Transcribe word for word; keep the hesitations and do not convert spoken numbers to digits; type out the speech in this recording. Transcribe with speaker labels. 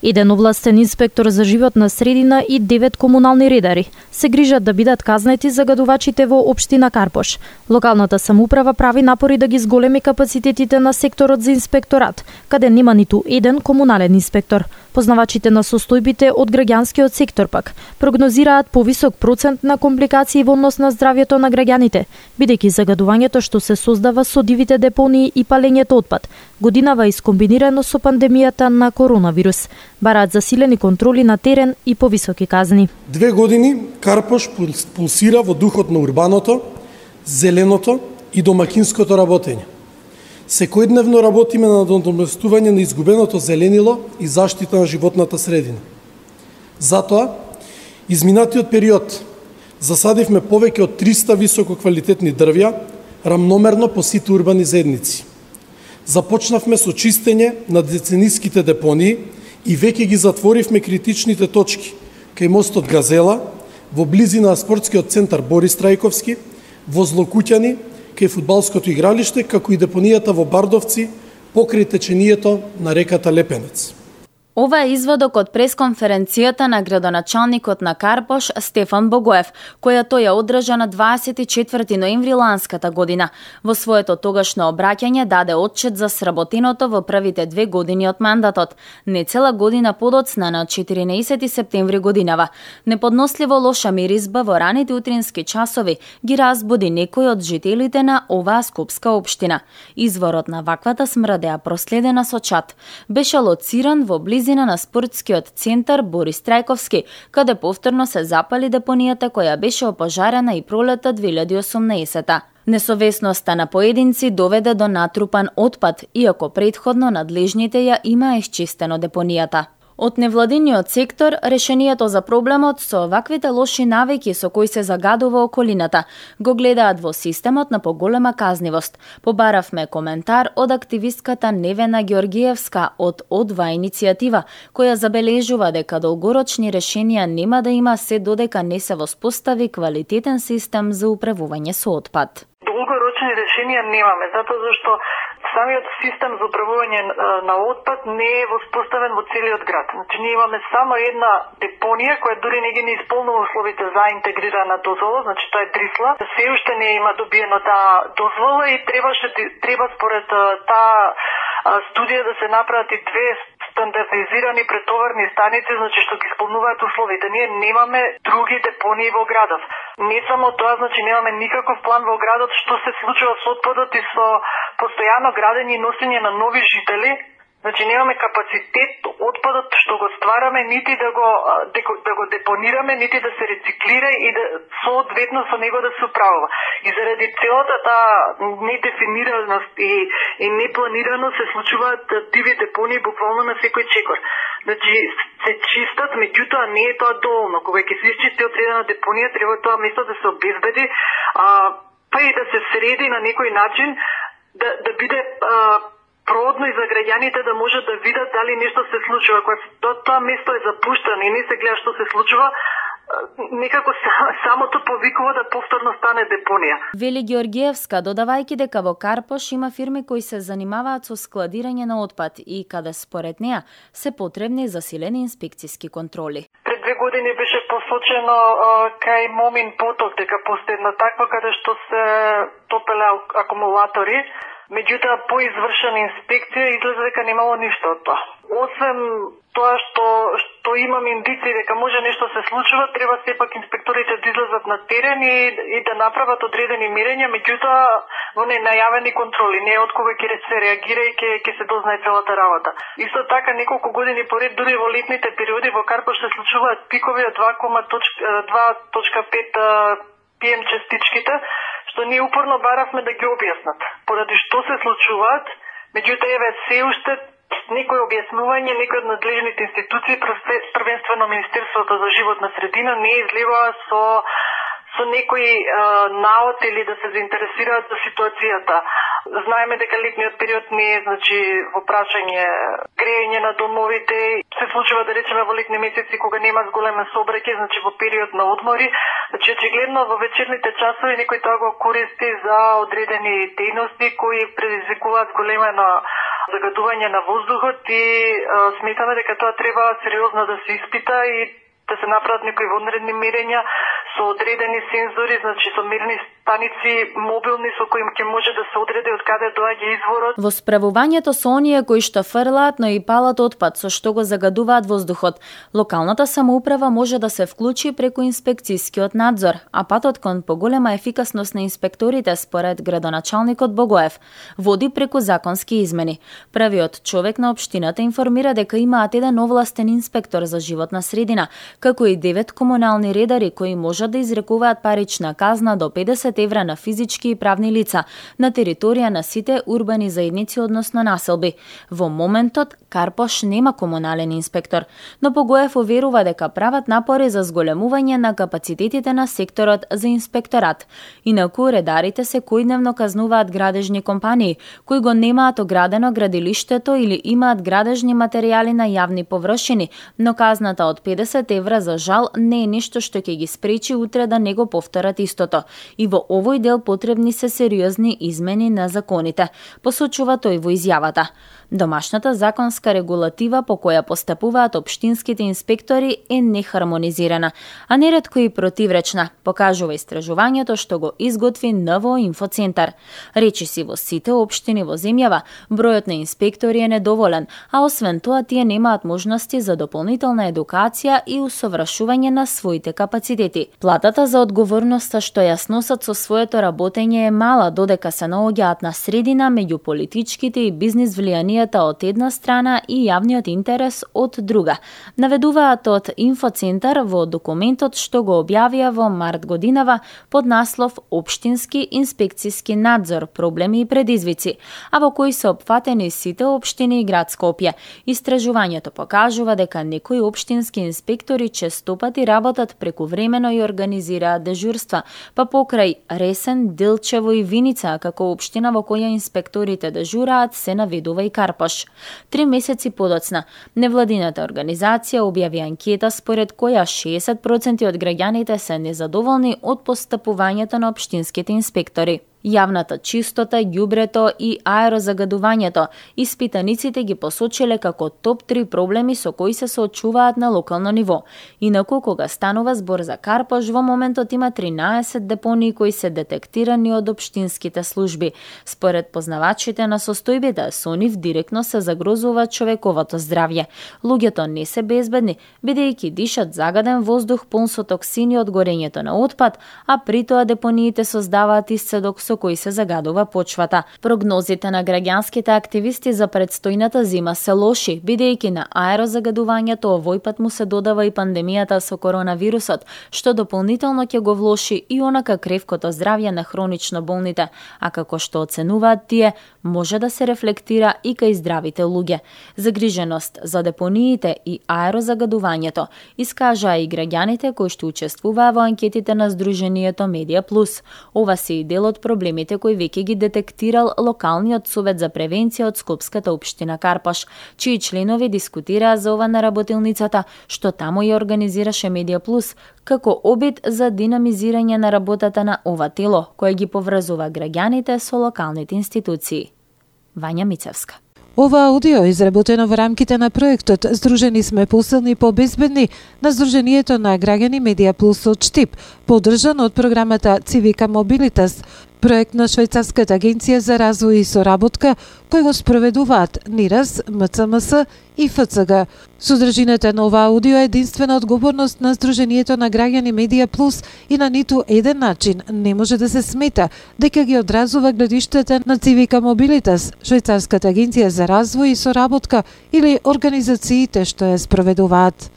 Speaker 1: Еден овластен инспектор за животна средина и девет комунални редари се грижат да бидат казнети загадувачите во општина Карпош. Локалната самоуправа прави напори да ги зголеми капацитетите на секторот за инспекторат, каде нема ниту еден комунален инспектор. Познавачите на состојбите од граѓанскиот сектор пак прогнозираат повисок процент на компликации во однос на здравјето на граѓаните, бидејќи загадувањето што се создава со дивите депонии и палењето отпад годинава искомбинирано со пандемијата на коронавирус. Бараат засилени контроли на терен и повисоки казни.
Speaker 2: Две години Карпош пулсира во духот на урбаното, зеленото и домакинското работење. Секојдневно работиме на надоместување на изгубеното зеленило и заштита на животната средина. Затоа, изминатиот период засадивме повеќе од триста висококвалитетни дрвја, рамномерно по сите урбани заедници. Започнавме со чистење на децениските депонии и веќе ги затворивме критичните точки кај мостот Газела, во близина на спортскиот центар Борис Трајковски, во Злокуќани, кај фудбалското игралиште, како и депонијата во Бардовци, покрај течението на реката Лепенец.
Speaker 3: Ова е изводок од пресконференцијата на градоначалникот на Карпош Стефан Богоев, која тој ја одржа на дваесет и четврти ноември ланската година. Во своето тогашно обраќање даде отчет за сработеното во првите две години од мандатот. Не цела година подоцна на четиринаесети септември годинава. Неподносливо лоша миризба во раните утрински часови ги разбуди некои од жителите на оваа скопска општина. Изворот на ваквата смрдеа проследена со чад. Беше лоциран во близина на спортскиот центар Борис Трајковски, каде повторно се запали депонијата која беше опожарена и пролета две илјади и осумнаесета. Несовесноста на поединци доведе до натрупан отпад, иако претходно надлежните ја има исчистено депонијата. Од невладиниот сектор, решението за проблемот со ваквите лоши навики со кои се загадува околината го гледаат во системот на поголема казнивост. Побаравме коментар од активистката Невена Георгиевска од Одва иницијатива, која забележува дека долгорочни решенија нема да има се додека не се воспостави квалитетен систем за управување со отпад.
Speaker 4: Долгорочни решенија немаме, затоа зашто самиот систем за управување на отпад не е воспоставен во целиот град. Значи, ние имаме само една депонија која дури не ги не исполнува условите за интегрирана дозвола, значи тоа е Дрисла. Се уште не има добиено таа дозвола и требаше треба според таа студија да се направат и две стандартизирани претоварни станици, значи што ги исполнуваат условите. Ние немаме други депонии во градот. Не само тоа, значи немаме никаков план во градот што се случува со отпадот и со постојано градење и носење на нови жители. Значи немаме капацитет отпадот што го ствараме нити да го да го депонираме, нити да се рециклира и да соодветно со него да се управува. И заради целата таа недефинираност и, и непланирано се случуваат диви депонии буквално на секој чекор. Значи се чистат, меѓутоа не е тоа доволно. Кога ќе се исчисти одредена депонија, треба тоа место да се обезбеди, а, па и да се среди на некој начин да да биде а, продно и за граѓаните да можат да видат дали нешто се случува. Кога тоа, тоа место е запуштено и не се гледа што се случува, некако самото повикува да повторно стане депонија.
Speaker 3: Вели Георгиевска, додавајќи дека во Карпош има фирми кои се занимаваат со складирање на отпад и каде според неа се потребни засилени инспекциски контроли.
Speaker 4: Пред две години беше посочено кај Момин поток дека постои една таква каде што се топеле акумулатори. Меѓутоа, по извршена инспекција излезе дека немало ништо од тоа. Освен тоа што што имам индиции дека може нешто се случува, треба сепак инспекторите да излезат на терен и, и да направат одредени мерења, меѓутоа во ненајавени контроли, не од кога ќе се реагира и ќе ќе се дознае целата работа. Исто така неколку години поред, дури во летните периоди во Карпош се случуваат пикови од два точка пет пи ем частичките, што ние упорно баравме да ги објаснат. Поради што се случуваат, меѓутоа еве се уште некои објаснување, некои од надлежните институции, првенствено Министерството за животна средина, не излегува со со некои наод или да се заинтересираат за ситуацијата. Знаеме дека летниот период не е, значи, во прашање грејење на домовите. Се случува, да речеме, во летни месеци кога нема зголемен сообраќај, значи во период на одмори. Значи, очигледно во вечерните часови некој тоа го користи за одредени дејности кои предизвикуваат големено загадување на воздухот и сметаме дека тоа треба сериозно да се испита и да се направат некои вонредни мерења со одредени сензори, значи со мерни станици мобилни со кои ќе може да се одреди од каде доаѓа изворот.
Speaker 3: Во справувањето со оние кои што фрлаат, но и палат отпад со што го загадуваат воздухот, локалната самоуправа може да се вклучи преку инспекцијскиот надзор, а патот кон поголема ефикасност на инспекторите, според градоначалникот Богоев, води преку законски измени. Првиот човек на општината информира дека имаат еден овластен инспектор за животна средина, како и девет комунални редари кои можат да изрекуваат парична казна до педесет евра на физички и правни лица на територија на сите урбани заедници, односно населби. Во моментот Карпош нема комунален инспектор, но Богоев уверува дека прават напори за зголемување на капацитетите на секторот за инспекторат. Инаку редарите се којдневно казнуваат градежни компании кои го немаат оградено градилиштето или имаат градежни материјали на јавни површини, но казната од педесет евра за жал не е нешто што ќе ги спречи утре да не го повторат истото. И во овој дел потребни се сериозни измени на законите, посочува тој во изјавата. Домашната законска регулатива по која постапуваат општинските инспектори е нехармонизирана, а неретко и противречна, покажува истражувањето што го изготви Н В О Инфоцентар. Речиси во сите општини во земјава, бројот на инспектори е недоволен, а освен тоа тие немаат можности за дополнителна едукација и усовршување на своите капацитети. Платата за одговорноста што ја сносат со своето работење е мала, додека се наоѓаат на средина меѓу политичките и бизнис влијанијата од една страна и јавниот интерес од друга. Наведуваат од Инфоцентар во документот што го објавија во март годинава под наслов Општински инспекцијски надзор, проблеми и предизвици, а во кој се опфатени сите општини и град Скопје. Истражувањето покажува дека некои општински инспектори честопати работат прекувремено и организираат дежурства, па покрај Ресен, Дилчево и Виница, како општина во која инспекторите дежураат, се наведува и Карпош. Три месеци подоцна, невладината организација објави анкета според која шеесет проценти од граѓаните се незадоволни од постапувањето на општинските инспектори. Јавната чистота, ѓубрето и аерозагадувањето испитаниците ги посочиле како топ три проблеми со кои се соочуваат на локално ниво. Инаку, кога станува збор за Карпош, во моментот има тринаесет депонии кои се детектирани од општинските служби. Според познавачите на состојбите, со нив директно се загрозува човековото здравје. Луѓето не се безбедни, бидејќи дишат загаден воздух пун со токсини од горењето на отпад, а при тоа депониите создаваат исцедок со кои се загадува почвата. Прогнозите на граѓанските активисти за предстојната зима се лоши, бидејќи на аерозагадувањето овој пат му се додава и пандемијата со коронавирусот, што дополнително ќе го влоши и онака кревкото здравје на хронично болните, а како што оценуваат тие, може да се рефлектира и кај здравите луѓе. Загриженост за депониите и аерозагадувањето искажаа и граѓаните кои што учествуваа во анкетите на Сдруженијето Медија Плюс. Ова се и дел од проблемите кои веќе ги детектирал локалниот совет за превенција од Скопската општина Карпош, чии членови дискутираа за ова на работилницата, што таму ја организираше Медија Плюс, како обид за динамизирање на работата на ова тело, кое ги поврзува граѓаните со локалните институции. Вања Мицевска.
Speaker 5: Ова аудио е изработено во рамките на проектот Здружени сме посилни и побезбедни на Сдруженијето на граѓани Медија Плюс од Штип, поддржан од програмата Цивика Мобилитас, проект на Швајцарската агенција за развој и соработка, кој го спроведуваат НИРАС, М Ц М С и Ф Ц Г. Содржината на ова аудио е единствена одговорност на Сдруженијето на граѓани Медија Плюс и на ниту еден начин не може да се смета дека ги одразува гледиштата на Цивика Мобилитас, Швајцарската агенција за развој и соработка или организациите што ја спроведуваат.